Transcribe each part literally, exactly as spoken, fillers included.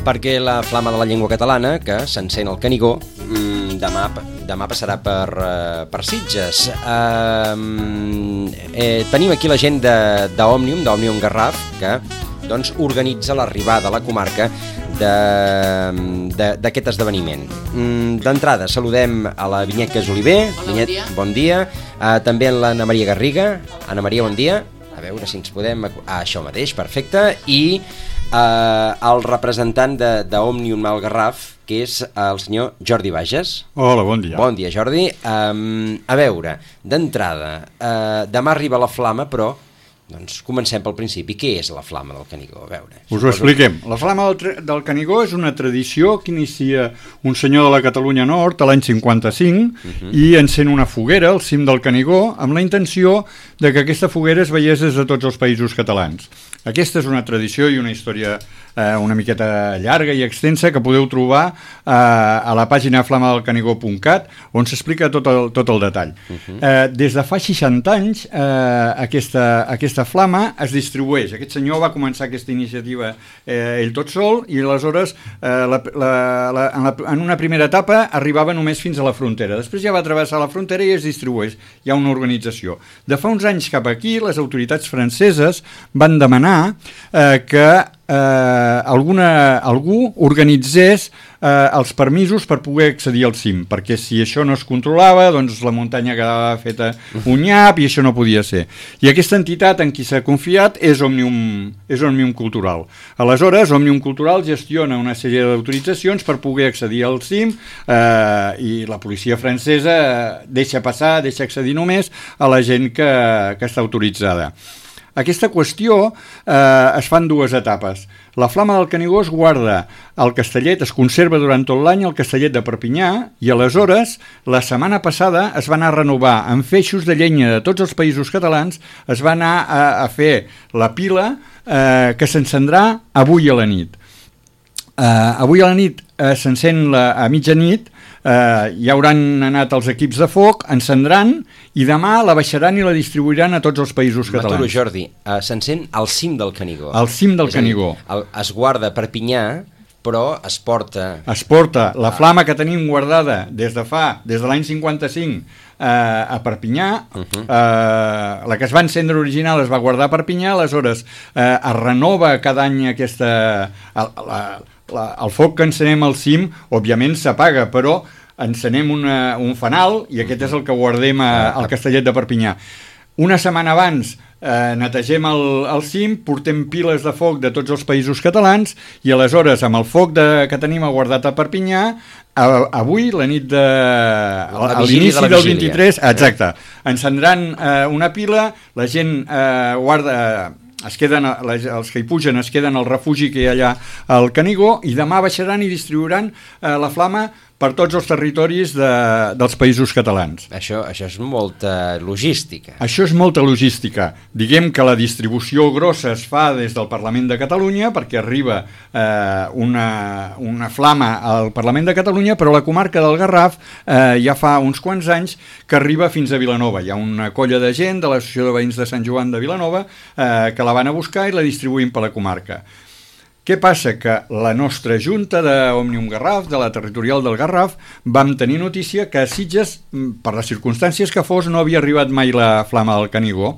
perquè la flama de la llengua catalana, que s'encén al Canigó, demà, demà passarà per, per Sitges. Eh, eh, tenim aquí la gent d'Òmnium, d'Òmnium Garraf, que doncs, organitza l'arribada a la comarca d'aquest esdeveniment. D'entrada, saludem a la Vinyet Casoliver. Hola, Vinyet, bon dia. Bon dia. Uh, també a l'Anna Maria Garriga. Anna Maria, bon dia. A veure si ens podem... Ah, això mateix, perfecte. I uh, el representant d'Òmnium al Garraf, que és el senyor Jordi Bages. Hola, bon dia. Bon dia, Jordi. Um, a veure, d'entrada, uh, demà arriba la flama, però doncs comencem pel principi. Què és la flama del Canigó? A veure, us ho expliquem. La flama del, del Canigó és una tradició que inicia un senyor de la Catalunya Nord a l'any cinquanta-cinc uh-huh. i encén una foguera al cim del Canigó amb la intenció de que aquesta foguera es veiés des de tots els països catalans. Aquesta és una tradició i una història eh, una miqueta llarga i extensa que podeu trobar eh, a la pàgina flama del canigó punt cat, on s'explica tot el, tot el detall. Uh-huh. eh, des de fa seixanta anys eh, aquesta, aquesta flama es distribueix. Aquest senyor va començar aquesta iniciativa eh, ell tot sol i aleshores eh, la, la, la, en, la, en una primera etapa arribava només fins a la frontera. Després ja va travessar la frontera i es distribueix. Hi ha una organització. De fa uns anys cap aquí, les autoritats franceses van demanar eh, que eh, alguna, algú organitzés eh, els permisos per poder accedir al cim, perquè si això no es controlava, doncs la muntanya quedava feta un nyap i això no podia ser. I aquesta entitat en qui s'ha confiat és Òmnium, és Òmnium Cultural. Aleshores, Òmnium Cultural gestiona una sèrie d'autoritzacions per poder accedir al cim eh, i la policia francesa deixa passar, deixa accedir només a la gent que, que està autoritzada. Aquesta qüestió eh, es fa en dues etapes. La flama del Canigó es guarda al Castellet, es conserva durant tot l'any al Castellet de Perpinyà i aleshores, la setmana passada, es va anar a renovar amb feixos de llenya de tots els països catalans, es va anar a, a fer la pila eh, que s'encendrà avui a la nit. Eh, avui a la nit eh, s'encén a mitjanit, Uh, hi hauran anat els equips de foc, encendran i demà la baixaran i la distribuiran a tots els països catalans. M'aturo, Jordi, uh, s'encén al cim del Canigó. Al cim del És dir, Canigó. El, es guarda a Perpinyà, però es porta... Es porta la flama que tenim guardada des de fa, des de l'any cinquanta-cinc eh, a Perpinyà, uh-huh. eh, la que es va encendre original es va guardar a Perpinyà, aleshores eh, es renova cada any aquesta... La, la, la, el foc que encenem al cim, òbviament s'apaga, però encenem una, un fanal i aquest és el que guardem a, al Castellet de Perpinyà. Una setmana abans eh, netegem el, el cim, portem piles de foc de tots els països catalans i aleshores amb el foc de, que tenim guardat a Perpinyà, a, avui, la nit de... A, a l'inici de del vint-i-tres, exacte, encendran eh, una pila, la gent eh, guarda... Es queden, els que hi pugen es queden al refugi que hi ha allà al Canigó i demà baixaran i distribuiran eh, la flama per tots els territoris de, dels països catalans. Això, això és molta logística. Això és molta logística. Diguem que la distribució grossa es fa des del Parlament de Catalunya perquè arriba eh, una, una flama al Parlament de Catalunya, però la comarca del Garraf eh, ja fa uns quants anys que arriba fins a Vilanova. Hi ha una colla de gent de l'Associació de Veïns de Sant Joan de Vilanova eh, que la van a buscar i la distribuïm per la comarca. Què passa? Que la nostra junta d'Òmnium Garraf, de la territorial del Garraf, vam tenir notícia que a Sitges, per les circumstàncies que fos, no havia arribat mai la flama del Canigó.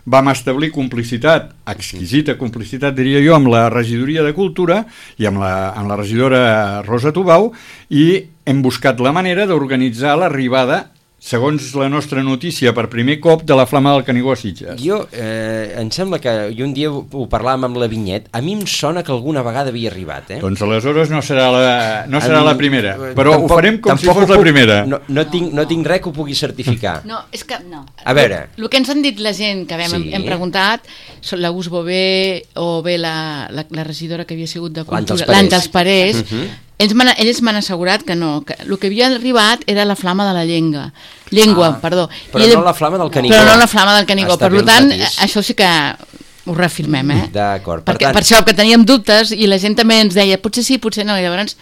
Vam establir complicitat, exquisita complicitat, diria jo, amb la regidoria de Cultura i amb la, amb la regidora Rosa Tubau i hem buscat la manera d'organitzar l'arribada, segons la nostra notícia, per primer cop de la flama del Canigó a Sitges. Jo, eh, em sembla que i un dia ho, ho parlàvem amb la Vinyet, a mi em sona que alguna vegada havia arribat, eh? Doncs aleshores no serà la, no serà la primera, però tampoc, ho farem com si fos puc, la primera. No, no, tinc, no tinc res que ho pugui certificar. No, és que... No. A veure... El que ens han dit la gent que hem, sí. hem preguntat, l'August Bové o bé la, la, la regidora que havia sigut de Cultura, l'Àngels Parés, uh-huh. Ells m'han, ells m'han assegurat que no, que el que havia arribat era la flama de la llengua, llengua, ah, perdó. Però I no la flama del Canigó. Però no la flama del Canigó, per tant, això sí que ho reafirmem, eh? D'acord. Per, Perquè, tant... per això que teníem dubtes i la gent també ens deia, potser sí, potser no, i llavors,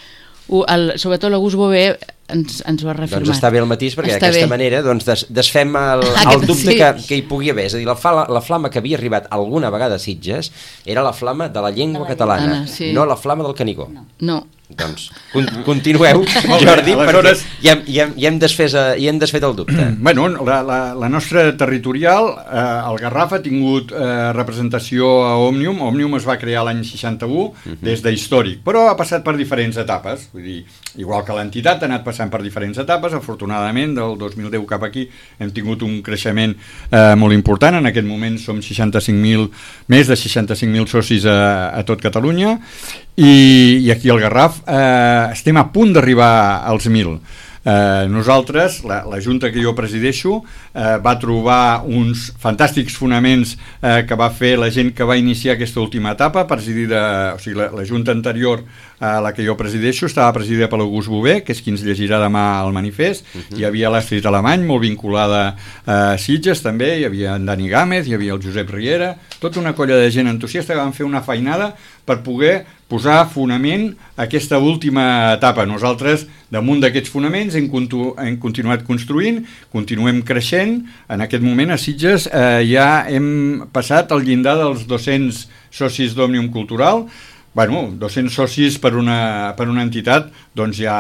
el, sobretot l'August Bové ens, ens ho ha reafirmat. Doncs està bé el matís, perquè està d'aquesta bé. manera doncs, des, desfem el, el dubte sí. que, que hi pugui haver. És a dir, la, la, la flama que havia arribat alguna vegada a Sitges era la flama de la llengua de la catalana, Anna, sí. no la flama del Canigó. No. no. Doncs con, continueu, Jordi, aleshores... perquè ja, ja, ja, hem desfet, ja hem desfet el dubte. Bueno, la, la, la nostra territorial, eh, el Garraf ha tingut eh, representació a Òmnium. Òmnium es va crear l'any seixanta-u, uh-huh. des d'històric, però ha passat per diferents etapes. Vull dir, igual que l'entitat ha anat passant per diferents etapes. Afortunadament, del dos mil deu cap aquí hem tingut un creixement eh, molt important. En aquest moment som seixanta-cinc mil, més de seixanta-cinc mil socis a, a tot Catalunya, i, i aquí al Garraf eh, estem a punt d'arribar als mil. Eh, nosaltres, la, la Junta que jo presideixo, eh, va trobar uns fantàstics fonaments eh, que va fer la gent que va iniciar aquesta última etapa, presidida, o sigui, la, la Junta anterior a la que jo presideixo estava presidida per l'August Bové, que és qui ens llegirà demà el manifest. Uh-huh. Hi havia l'Astrid Alemany, molt vinculada a Sitges també, hi havia en Dani Gámez, hi havia el Josep Riera, tota una colla de gent entusiasta que van fer una feinada per poder posar fonament a aquesta última etapa. Nosaltres, damunt d'aquests fonaments, hem, continu hem continuat construint, continuem creixent. En aquest moment a Sitges eh, ja hem passat el llindar dels dos-cents socis d'Òmnium Cultural. Bueno, dos-cents socis per una, per una entitat, doncs ja,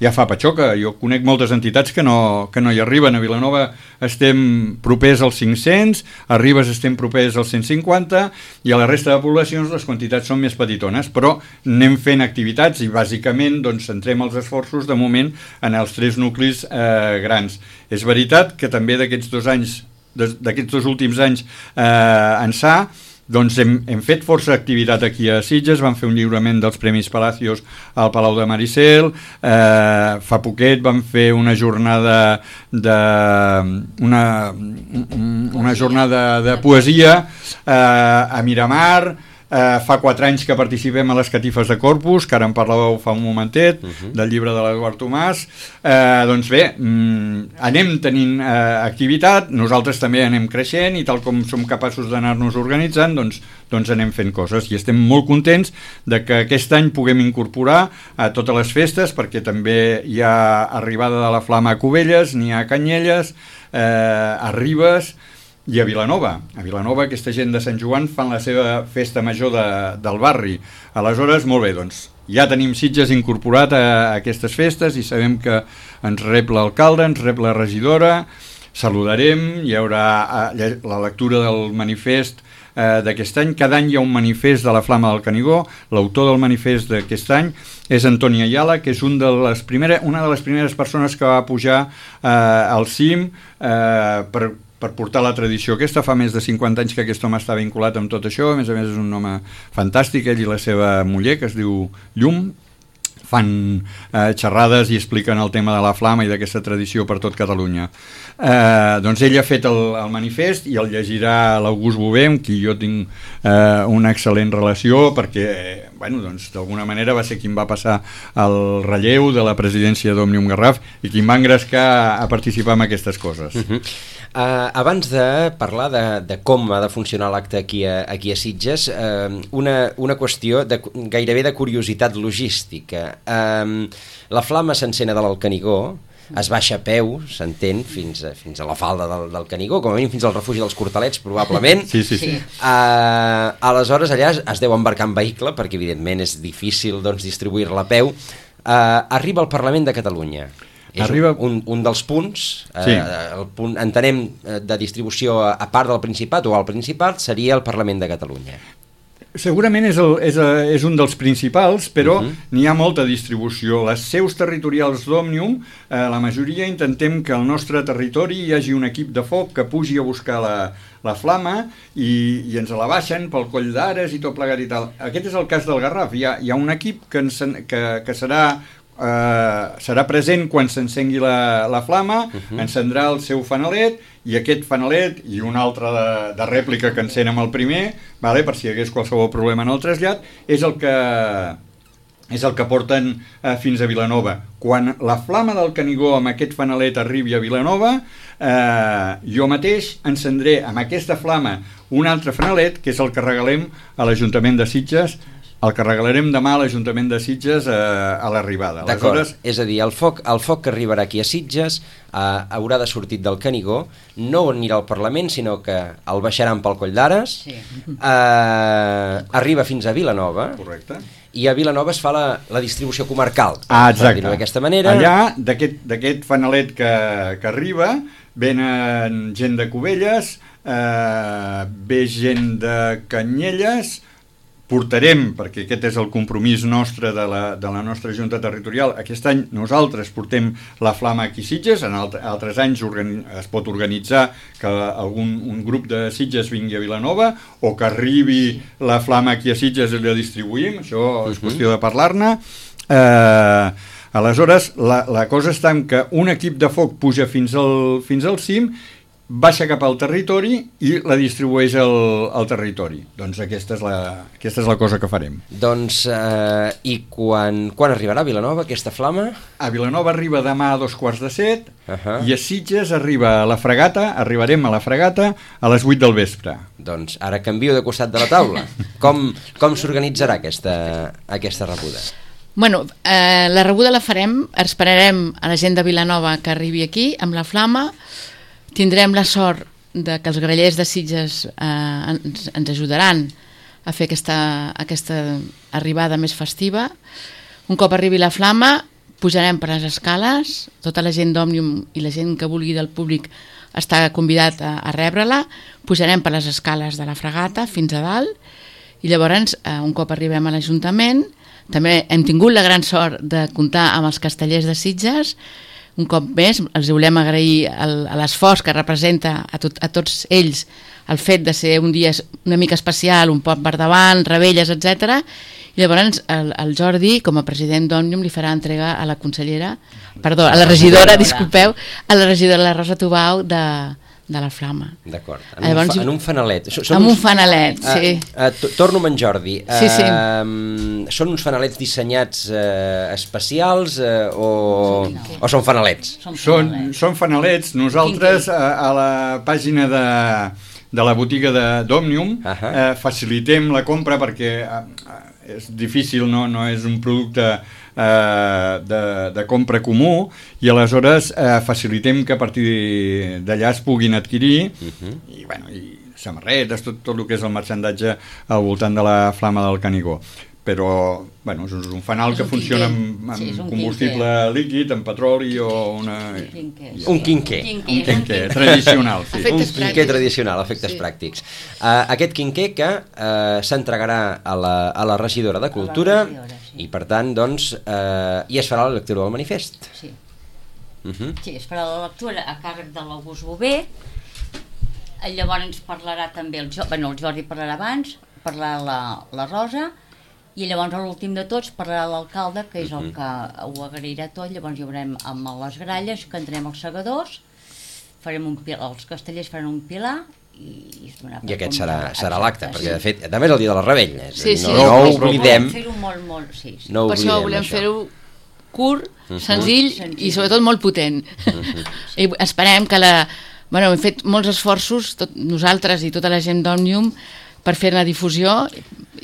ja fa patxoca. Jo conec moltes entitats que no, que no hi arriben. A Vilanova estem propers als cinc-cents, a Ribes estem propers als cent cinquanta, i a la resta de poblacions les quantitats són més petitones, però anem fent activitats i bàsicament doncs, centrem els esforços de moment en els tres nuclis eh, grans. És veritat que també d'aquests dos anys, d'aquests dos últims anys eh, ençà, doncs hem, hem fet força activitat aquí a Sitges. Vam fer un lliurament dels Premis Palacios al Palau de Maricel, eh, fa poquet vam fer una jornada de una, una jornada de poesia eh, a Miramar. Eh, fa quatre anys que participem a les catifes de Corpus, que ara en parlàveu fa un momentet, uh-huh. del llibre de l'Eduard Tomàs. Eh, doncs bé, mm, anem tenint eh, activitat, nosaltres també anem creixent, i tal com som capaços d'anar-nos organitzant, doncs, doncs anem fent coses, i estem molt contents de que aquest any puguem incorporar a totes les festes, perquè també hi ha arribada de la Flama a Cubelles, n'hi ha a Canyelles, eh, a Ribes, i a Vilanova. A Vilanova aquesta gent de Sant Joan fan la seva festa major de, del barri. Aleshores, molt bé, doncs ja tenim Sitges incorporat a, a aquestes festes, i sabem que ens rep l'alcalde, ens rep la regidora, saludarem, hi haurà eh, la lectura del manifest eh, d'aquest any. Cada any hi ha un manifest de la Flama del Canigó. L'autor del manifest d'aquest any és Antoni Ayala, que és un de les primeres, una de les primeres persones que va pujar eh, al cim eh, per per portar la tradició aquesta. Fa més de cinquanta anys que aquest home està vinculat amb tot això. A més a més és un home fantàstic, ell i la seva muller, que es diu Llum, fan eh, xerrades i expliquen el tema de la Flama i d'aquesta tradició per tot Catalunya. Eh, doncs ell ha fet el, el manifest i el llegirà l'August Bové, amb qui jo tinc eh, una excel·lent relació, perquè bueno, doncs, d'alguna manera va ser qui em va passar el relleu de la presidència d'Òmnium Garraf i qui em va engrescar a participar en aquestes coses. Uh-huh. Uh, abans de parlar de, de com ha de funcionar l'acte aquí, aquí a Sitges, uh, una, una qüestió de, gairebé de curiositat logística. Uh, la Flama s'encén de l'Alcanigó, es baixa a peu, s'entén, fins, a, fins a la falda del, del Canigó, com a mínim fins al refugi dels Cortalets, probablement. Sí, sí, sí. Uh, aleshores, allà es deu embarcar en vehicle, perquè evidentment és difícil doncs, distribuir-la a peu. Uh, arriba al Parlament de Catalunya. És Arriba... un, un dels punts, eh, sí. el punt, entenem, de distribució a, a part del Principat o al Principat, seria el Parlament de Catalunya. Segurament és, el, és, és un dels principals, però uh-huh. n'hi ha molta distribució. Les seus territorials d'Òmnium, eh, la majoria intentem que al nostre territori hi hagi un equip de foc que pugi a buscar la, la flama i, i ens la baixen pel Coll d'Ares i tot plegat i tal. Aquest és el cas del Garraf. Hi ha, hi ha un equip que, ens, que, que serà... Uh, serà present quan s'encengui la, la flama, uh-huh. encendrà el seu fanalet, i aquest fanalet i un altre de, de rèplica que encén amb el primer, vale, per si hi hagués qualsevol problema en el trasllat, és el que és el que porten uh, fins a Vilanova. Quan la flama del Canigó amb aquest fanalet arribi a Vilanova, uh, jo mateix encendré amb aquesta flama un altre fanalet, que és el que regalem a l'Ajuntament de Sitges el que regalarem demà a l'Ajuntament de Sitges a, a l'arribada. D'acord, Aleshores... és a dir, el foc, el foc que arribarà aquí a Sitges eh, haurà de sortir del Canigó, no anirà al Parlament, sinó que el baixaran pel Coll d'Ares, sí. eh, arriba fins a Vilanova. Correcte. I a Vilanova es fa la, la distribució comarcal. Ah, exacte. D'aquesta manera... Allà, d'aquest fanalet que, que arriba, venen gent de Cubelles, eh, ve gent de Canyelles, portarem, perquè aquest és el compromís nostre de la, de la nostra Junta Territorial, aquest any nosaltres portem la flama aquí a Sitges, en altre, altres anys organi es pot organitzar que algun un grup de Sitges vingui a Vilanova o que arribi la flama aquí a Sitges i la distribuïm, això és qüestió de parlar-ne. Eh, aleshores, la, la cosa està en que un equip de foc puja fins al, fins al cim, baixa cap al territori i la distribueix al, al territori. Doncs aquesta és, la, aquesta és la cosa que farem. Doncs, eh, i quan, quan arribarà a Vilanova aquesta flama? A Vilanova arriba demà a dos quarts de set, uh -huh. i a Sitges arriba a la Fregata, arribarem a la Fregata a les vuit del vespre. Doncs ara canvio de costat de la taula. Com, com s'organitzarà aquesta, aquesta rebuda? Bueno, eh, la rebuda la farem, esperarem a la gent de Vilanova que arribi aquí amb la flama. Tindrem la sort de que els grallers de Sitges eh, ens, ens ajudaran a fer aquesta, aquesta arribada més festiva. Un cop arribi la flama, pujarem per les escales, tota la gent d'Òmnium i la gent que vulgui del públic està convidat a, a rebre-la, pujarem per les escales de la Fregata fins a dalt, i llavors, eh, un cop arribem a l'Ajuntament, també hem tingut la gran sort de comptar amb els castellers de Sitges. Un cop més, els volem agrair l'esforç que representa a, tot, a tots ells el fet de ser un dia una mica especial, un poc per davant, rebelles, etcètera. I llavors el, el Jordi, com a president d'Òmnium, li farà entrega a la consellera, perdó, a la regidora, disculpeu, a la regidora la Rosa Tubau de, de la flama. D'acord, en, llavors, en un fanalet. Són en un fanalet, uh, sí. Uh, uh, torno amb en Jordi. Uh, sí, sí. Són uns fanalets dissenyats uh, especials uh, o, no. o són fanalets? Són, són fanalets. Nosaltres a, a la pàgina de, de la botiga d'Òmnium uh -huh. uh, facilitem la compra perquè uh, és difícil, no, no és un producte Uh, de, de compra comú, i aleshores uh, facilitem que a partir d'allà es puguin adquirir uh-huh. i, bueno, i samarretes, tot, tot el que és el merchandatge al voltant de la flama del Canigó. Però bueno, és un fanal és que un funciona amb, amb sí, combustible quinquer. líquid, amb petroli o una... Un quinquer. Un quinquer tradicional. Sí. Un quinquer tradicional, efectes sí. pràctics. Uh, aquest quinquer que uh, s'entregarà a, la, a la regidora de Cultura regidora, sí. i per tant doncs uh, i es farà la lectura del manifest. Sí, uh -huh. sí es farà la lectura a càrrec de l'August Bové. Llavors ens parlarà també el, bueno, el Jordi parlarà abans, parlarà la, la Rosa, i llavors a l'últim de tots parlarà l'alcalde, que és el que ho agrairà tot. Llavors hi haurem amb les gralles, cantarem els segadors, farem un pilar, els castellers faran un pilar i, i aquest serà, serà l'acte, perquè de fet també és el dia de la Rebella, sí, sí. no, no ho oblidem, fer-ho molt, molt, sí, sí. no per això volem fer-ho curt, uh -huh. senzill, senzill i sobretot molt potent. Uh -huh. I esperem que la... Bueno, hem fet molts esforços, tot, nosaltres i tota la gent d'Òmnium, per fer-ne difusió,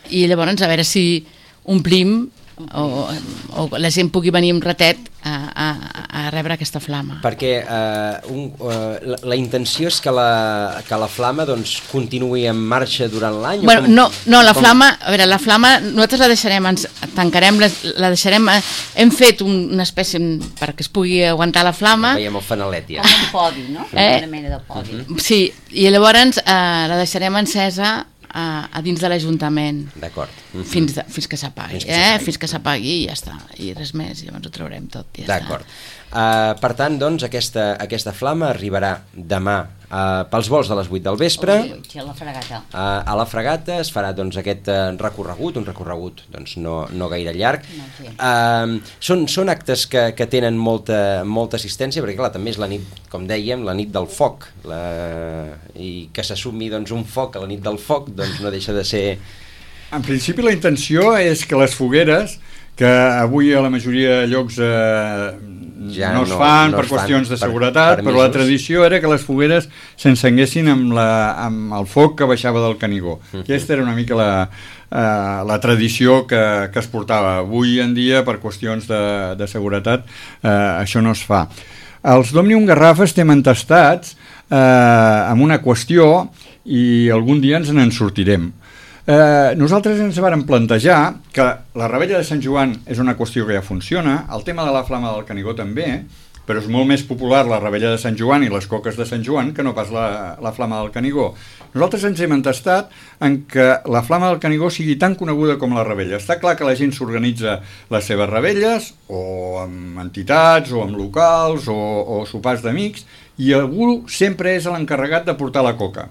i llavors a veure si omplim o, o la gent pugui venir un ratet a, a, a rebre aquesta flama. Perquè uh, un, uh, la, la intenció és que la, que la flama doncs, continuï en marxa durant l'any? Bueno, no, no, la com... flama, a veure, la flama nosaltres la deixarem, ens tancarem, la, la deixarem, hem fet un, una espècie perquè es pugui aguantar la flama. Veiem el fanalet ja. Com un podi, no? Eh? Una mena de podi. Uh -huh. Sí, i llavors uh, la deixarem encesa A, a dins de l'Ajuntament. D'acord. Uh -huh. fins, fins que s'apagui, eh? fins que s'apagui i ja està, i res més, llavors ho traurem tot. Ja d'acord. Uh, per tant, doncs, aquesta, aquesta flama arribarà demà uh, pels vols de les vuit del vespre. Sí, a la Fregata. Uh, a la Fregata es farà doncs, aquest uh, recorregut, un recorregut doncs, no, no gaire llarg. No, sí. uh, són, són actes que, que tenen molta, molta assistència, perquè clar, també és la nit, com dèiem, la nit del foc, la... i que s'assumi doncs, un foc a la nit del foc, doncs no deixa de ser... En principi la intenció és que les fogueres, que avui a la majoria de llocs eh, ja no es fan no, no per es qüestions fan de seguretat, per, però la tradició era que les fogueres s'encenguessin amb, la, amb el foc que baixava del Canigó. Uh -huh. Aquesta era una mica la, eh, la tradició que, que es portava. Avui en dia, per qüestions de, de seguretat, eh, això no es fa. Els d'Òmnium Garraf estem entestats eh, amb una qüestió i algun dia ens en sortirem. Eh, nosaltres ens vàrem plantejar que la Revetlla de Sant Joan és una qüestió que ja funciona, el tema de la Flama del Canigó també, però és molt més popular la Revetlla de Sant Joan i les coques de Sant Joan que no pas la, la Flama del Canigó. Nosaltres ens hem entestat en que la Flama del Canigó sigui tan coneguda com la Revetlla. Està clar que la gent s'organitza les seves revetlles, o amb entitats, o amb locals, o, o sopars d'amics, i algú sempre és l'encarregat de portar la coca.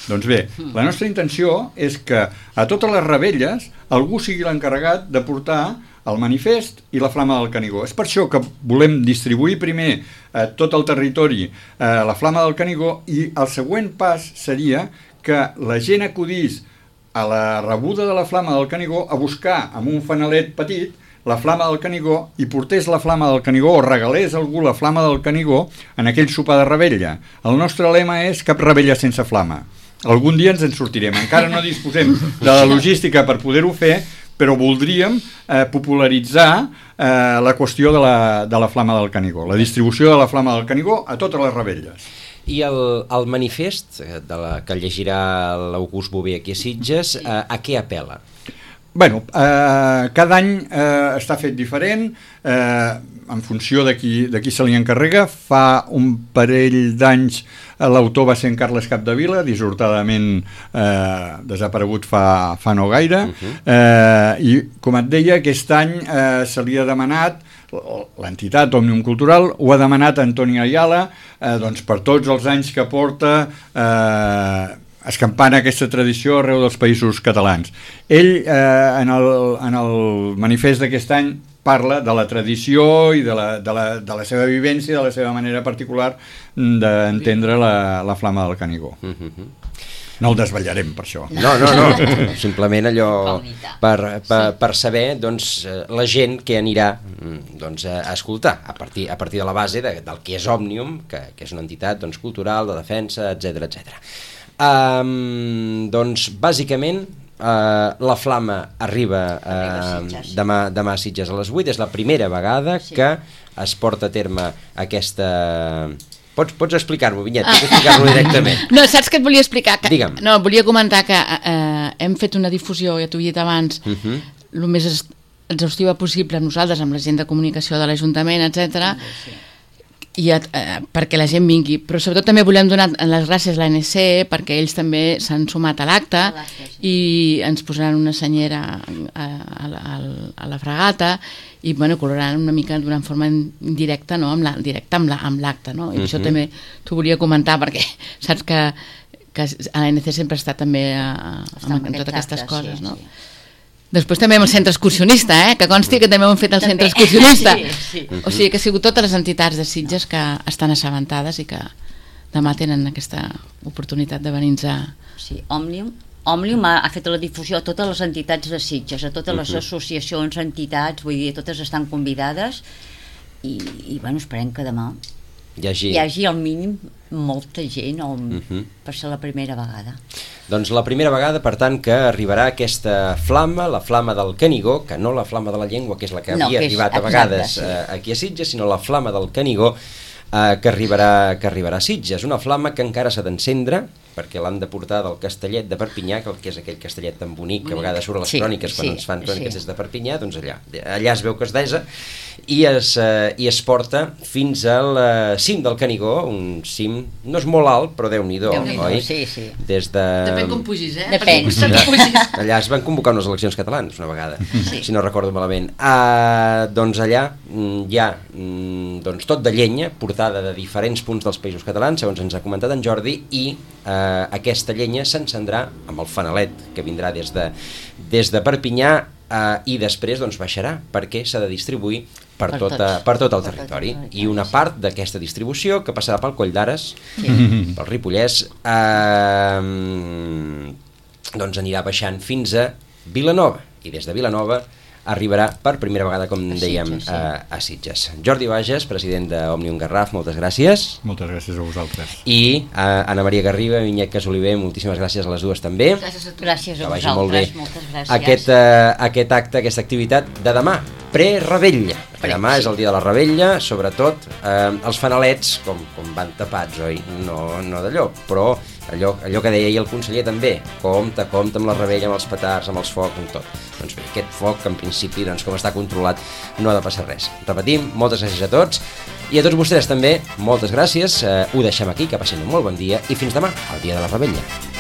Doncs bé, la nostra intenció és que a totes les revetlles algú sigui l'encarregat de portar el manifest i la Flama del Canigó. És per això que volem distribuir primer a tot el territori eh, la Flama del Canigó, i el següent pas seria que la gent acudís a la rebuda de la Flama del Canigó a buscar amb un fanalet petit la Flama del Canigó i portés la Flama del Canigó o regalés a algú la Flama del Canigó en aquell sopar de revetlla. El nostre lema és cap revetlla sense flama. Algun dia ens en sortirem. Encara no disposem de la logística per poder-ho fer, però voldríem eh, popularitzar eh, la qüestió de la, de la Flama del Canigó, la distribució de la Flama del Canigó a totes les revetlles. I el, el manifest de la, que llegirà l'August Bové aquí a Sitges, eh, a què apel·la? Bueno, eh, cada any eh, està fet diferent, eh, en funció de qui, de qui se li encarrega. Fa un parell d'anys eh, l'autor va ser en Carles Capdevila, dissortadament eh, desaparegut fa, fa no gaire, uh-huh. eh, i com et deia, aquest any eh, se li ha demanat, l'entitat Òmnium Cultural ho ha demanat a Antoni Ayala, eh, doncs per tots els anys que porta eh, escampant aquesta tradició arreu dels països catalans. Ell, eh, en, el, en el manifest d'aquest any, parla de la tradició i de la, de la, de la seva vivència, de la seva manera particular d'entendre la, la Flama del Canigó. Uh-huh. No el desvetllarem per això. No, no, no. Simplement allò per, per, per saber doncs, la gent que anirà doncs, a escoltar a partir, a partir de la base de, del que és Òmnium, que, que és una entitat doncs, cultural, de defensa, etcètera, etcètera. Um, doncs, bàsicament, uh, la Flama arriba, uh, demà, demà a Sitges a les vuit. És la primera vegada sí. que es porta a terme aquesta... Pots, pots explicar-m'ho, Vinyet, pots explicar-m'ho directament. No, saps què et volia explicar? Que, Digue'm. No, volia comentar que eh, hem fet una difusió, ja t'ho he dit abans, el uh-huh. més exhaustiva possible nosaltres, amb la gent de comunicació de l'Ajuntament, etcètera, sí. i eh, perquè la gent vingui, però sobretot també volem donar les gràcies a l'A N C perquè ells també s'han sumat a l'acte sí. i ens posaran una senyera a, a, a, a la fregata i bueno, coloraran una mica d'una forma indirecta, no? amb la, directa amb l'acte, no? I uh-huh. això també t'ho volia comentar perquè saps que, que a l'A N C sempre està també a, a, amb, amb totes aquestes acte, coses, sí, no? Sí. Després també amb el centre excursionista, eh? que consti que també ho hem fet el centre excursionista. Sí, sí. O sigui que ha sigut totes les entitats de Sitges que estan assabentades i que demà tenen aquesta oportunitat de venir-nos a... Sí, Òmnium, Òmnium ha, ha fet la difusió a totes les entitats de Sitges, a totes les uh-huh. associacions, entitats, vull dir, totes estan convidades i, i bueno, esperem que demà hi hagi, hi hagi al mínim molta gent o, uh-huh. per ser la primera vegada. Doncs la primera vegada, per tant, que arribarà aquesta flama, la flama del Canigó, que no la flama de la llengua, que és la que havia no, que arribat a vegades exacte, sí. eh, aquí a Sitges, sinó la flama del Canigó, eh, que, arribarà, que arribarà a Sitges. Una flama que encara s'ha d'encendre, perquè l'han de portar del Castellet de Perpinyà, que és aquell castellet tan bonic que a vegades surt a les sí, cròniques quan sí, ens fan cròniques sí. des de Perpinyà, doncs allà, allà es veu que es desa i es, eh, i es porta fins al eh, cim del Canigó, un cim, no és molt alt, però Déu-n'hi-do, oi? Sí, sí. Des de... Depèn com pugis, eh? Depèn. Allà, allà es van convocar unes eleccions catalanes una vegada, sí. si no recordo malament. Uh, doncs allà hi ha doncs, tot de llenya portada de diferents punts dels països catalans, segons ens ha comentat en Jordi, i uh, aquesta llenya s'encendrà amb el fanalet que vindrà des de, des de Perpinyà uh, i després doncs, baixarà perquè s'ha de distribuir per, per, tota, per tot el territori. I una part d'aquesta distribució que passarà pel Coll d'Ares, sí. pel Ripollès, eh, doncs anirà baixant fins a Vilanova. I des de Vilanova arribarà per primera vegada, com dèiem, a, a Sitges. Jordi Bages, president d'Òmnium Garraf, moltes gràcies. Moltes gràcies a vosaltres. I a Anna Maria Garriga, Vinyet Casoliver, moltíssimes gràcies a les dues també. Gràcies a tu. Gràcies a vosaltres, moltes gràcies. Aquest, uh, aquest acte, aquesta activitat de demà, pre-rebella. Demà és el dia de la rebella, sobretot eh, els fanalets, com, com van tapats, oi? No, no d'allò, però allò, allò que deia ahir el conseller també, compte, compte amb la rebella, amb els petards, amb els focs, amb tot. Doncs bé, aquest foc, en principi, doncs, com està controlat, no ha de passar res. Repetim, moltes gràcies a tots, i a tots vostès també, moltes gràcies, eh, ho deixem aquí, que passin un molt bon dia, i fins demà, el dia de la rebella.